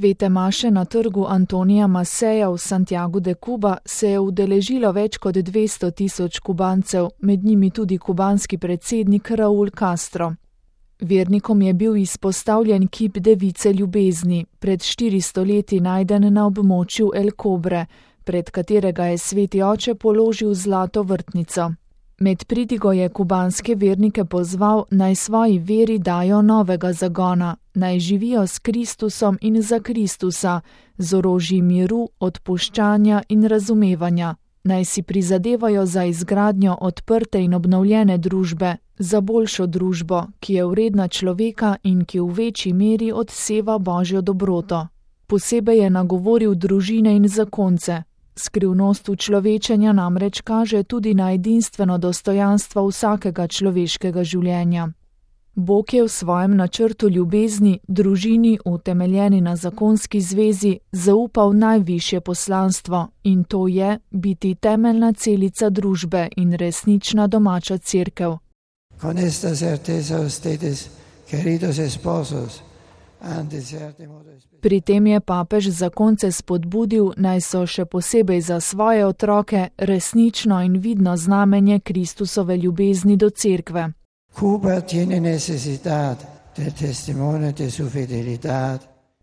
Svete maše na trgu Antonija Maseja v Santiagu de Cuba se je udeležilo več kot 200 tisoč Kubancev, med njimi tudi kubanski predsednik Raúl Castro. Vernikom je bil izpostavljen kip device ljubezni, pred 400 leti najden na območju El Cobre, pred katerega je sveti oče položil zlato vrtnico. Med pridigo je kubanske vernike pozval, naj svoji veri dajo novega zagona, naj živijo s Kristusom in za Kristusa, z orožji miru, odpuščanja in razumevanja. Naj si prizadevajo za izgradnjo odprte in obnovljene družbe, za boljšo družbo, ki je vredna človeka in ki v večji meri odseva Božjo dobroto. Posebej je nagovoril družine in zakonce. Skrivnost učlovečenja namreč kaže tudi na edinstveno dostojanstvo vsakega človeškega življenja. Bog je v svojem načrtu ljubezni, družini, utemeljeni na zakonski zvezi, zaupal najvišje poslanstvo in to je biti temeljna celica družbe in resnična domača cerkev. Con esta certeza ustedes, queridos esposos, Pri tem je papež zakonce spodbudil, naj so še posebej za svoje otroke resnično in vidno znamenje Kristusove ljubezni do cerkve.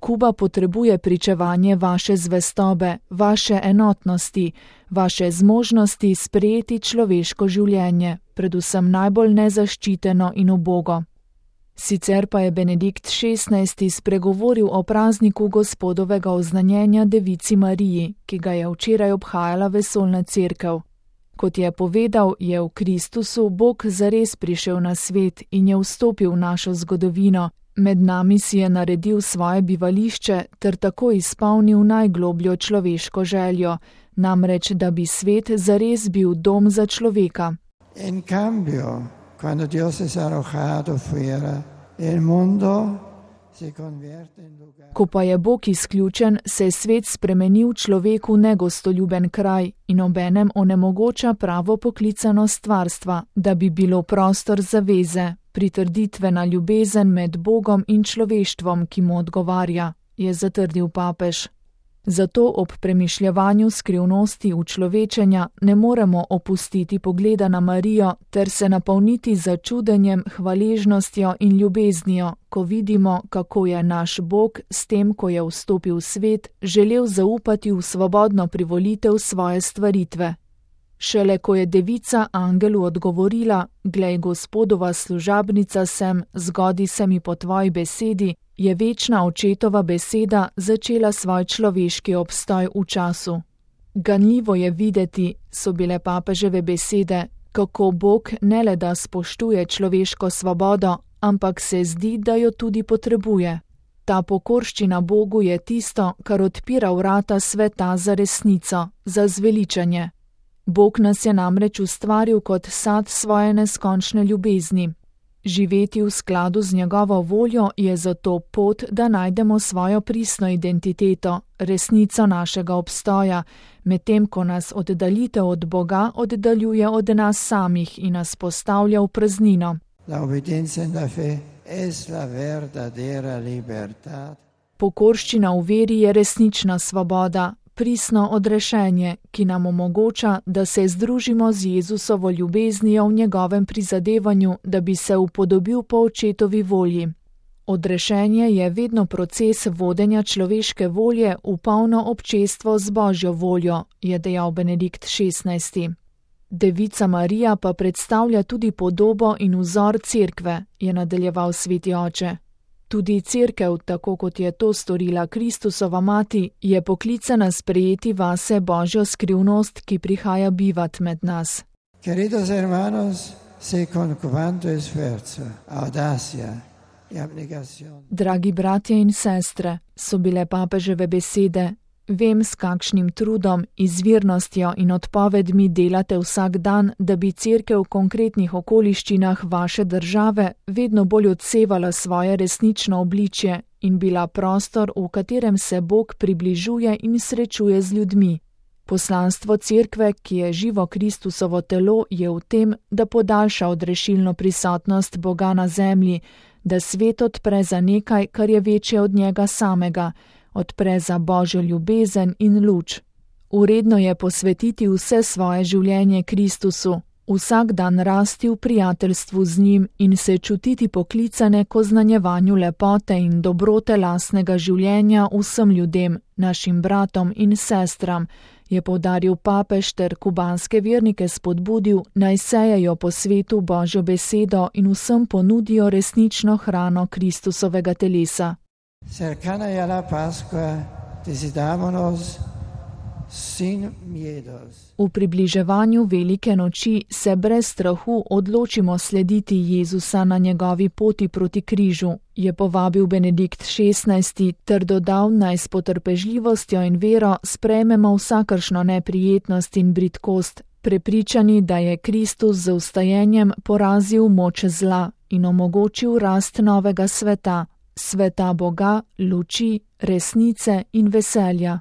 Kuba potrebuje pričevanje vaše zvestobe, vaše enotnosti, vaše zmožnosti sprejeti človeško življenje, predvsem najbolj nezaščiteno in ubogo. Sicer pa je Benedikt XVI. Spregovoril o prazniku Gospodovega oznanjenja Devici Mariji, ki ga je včeraj obhajala vesoljna cerkev. Kot je povedal, je v Kristusu Bog zares prišel na svet in je vstopil v našo zgodovino, med nami si je naredil svoje bivališče ter tako izpolnil najglobljo človeško željo, namreč da bi svet zares bil dom za človeka. In cambio, quando Dios es arrojado fuera, el mundo se convierte en lugar. Ko pa je Bog izključen, se je svet spremenil človeku negostoljuben kraj in obenem onemogoča pravo poklicanost stvarstva, da bi bilo prostor zaveze, pritrditvena ljubezen med Bogom in človeštvom, ki mu odgovarja, je zatrdil papež. Zato ob premišljevanju skrivnosti učlovečenja ne moremo opustiti pogleda na Marijo ter se napolniti začudenjem, hvaležnostjo in ljubeznijo, ko vidimo, kako je naš Bog s tem, ko je vstopil v svet, želel zaupati v svobodno privolitev svoje stvaritve. Šele ko je devica angelu odgovorila, glej, Gospodova služabnica sem, zgodi se mi po tvoji besedi, je večna očetova beseda začela svoj človeški obstoj v času. Ganljivo je videti, so bile papeževe besede, kako Bog ne le da spoštuje človeško svobodo, ampak se zdi, da jo tudi potrebuje. Ta pokorščina Bogu je tisto, kar odpira vrata sveta za resnico, za zveličanje. Bog nas je namreč ustvaril kot sad svoje neskončne ljubezni. Živeti v skladu z njegovo voljo je zato pot, da najdemo svojo pristno identiteto, resnico našega obstoja, medtem ko nas oddaljitev od Boga oddaljuje od nas samih in nas postavlja v praznino. Pokorščina v veri je resnična svoboda, pristno odrešenje, ki nam omogoča, da se združimo z Jezusovo ljubeznijo v njegovem prizadevanju, da bi se upodobil po očetovi volji. Odrešenje je vedno proces vodenja človeške volje v polno občestvo z Božjo voljo, je dejal Benedikt XVI. Devica Marija pa predstavlja tudi podobo in vzor cerkve, je nadaljeval sveti oče. Tudi cerkev, tako kot je to storila Kristusova mati, je poklicana sprejeti vase Božjo skrivnost, ki prihaja bivat med nas. Queridos hermanos, se con cuanto esfuerzo, audacia y abnegación. Dragi bratje in sestre, so bile papeževe besede, vem, s kakšnim trudom, izvirnostjo in odpovedmi delate vsak dan, da bi cerkev v konkretnih okoliščinah vaše države vedno bolj odsevala svoje resnično obličje in bila prostor, v katerem se Bog približuje in srečuje z ljudmi. Poslanstvo cerkve, ki je živo Kristusovo telo, je v tem, da podaljša odrešilno prisotnost Boga na zemlji, da svet odpre za nekaj, kar je večje od njega samega, odpre za Božjo ljubezen in luč. Uredno je posvetiti vse svoje življenje Kristusu, vsak dan rasti v prijateljstvu z njim in se čutiti poklicane k oznanjevanju lepote in dobrote lastnega življenja vsem ljudem, našim bratom in sestram, je poudaril papež ter kubanske vernike spodbudil, naj sejejo po svetu Božjo besedo in vsem ponudijo resnično hrano Kristusovega telesa. Cercana je la Pascua, decidámonos sin miedos. V približevanju velike noči se brez strahu odločimo slediti Jezusa na njegovi poti proti križu, je povabil Benedikt XVI ter dodal, naj s potrpežljivostjo in vero sprejmemo vsakršno neprijetnost in bridkost, prepričani, da je Kristus z vstajenjem porazil moč zla in omogočil rast novega sveta, sveta Boga, luči, resnice in veselja.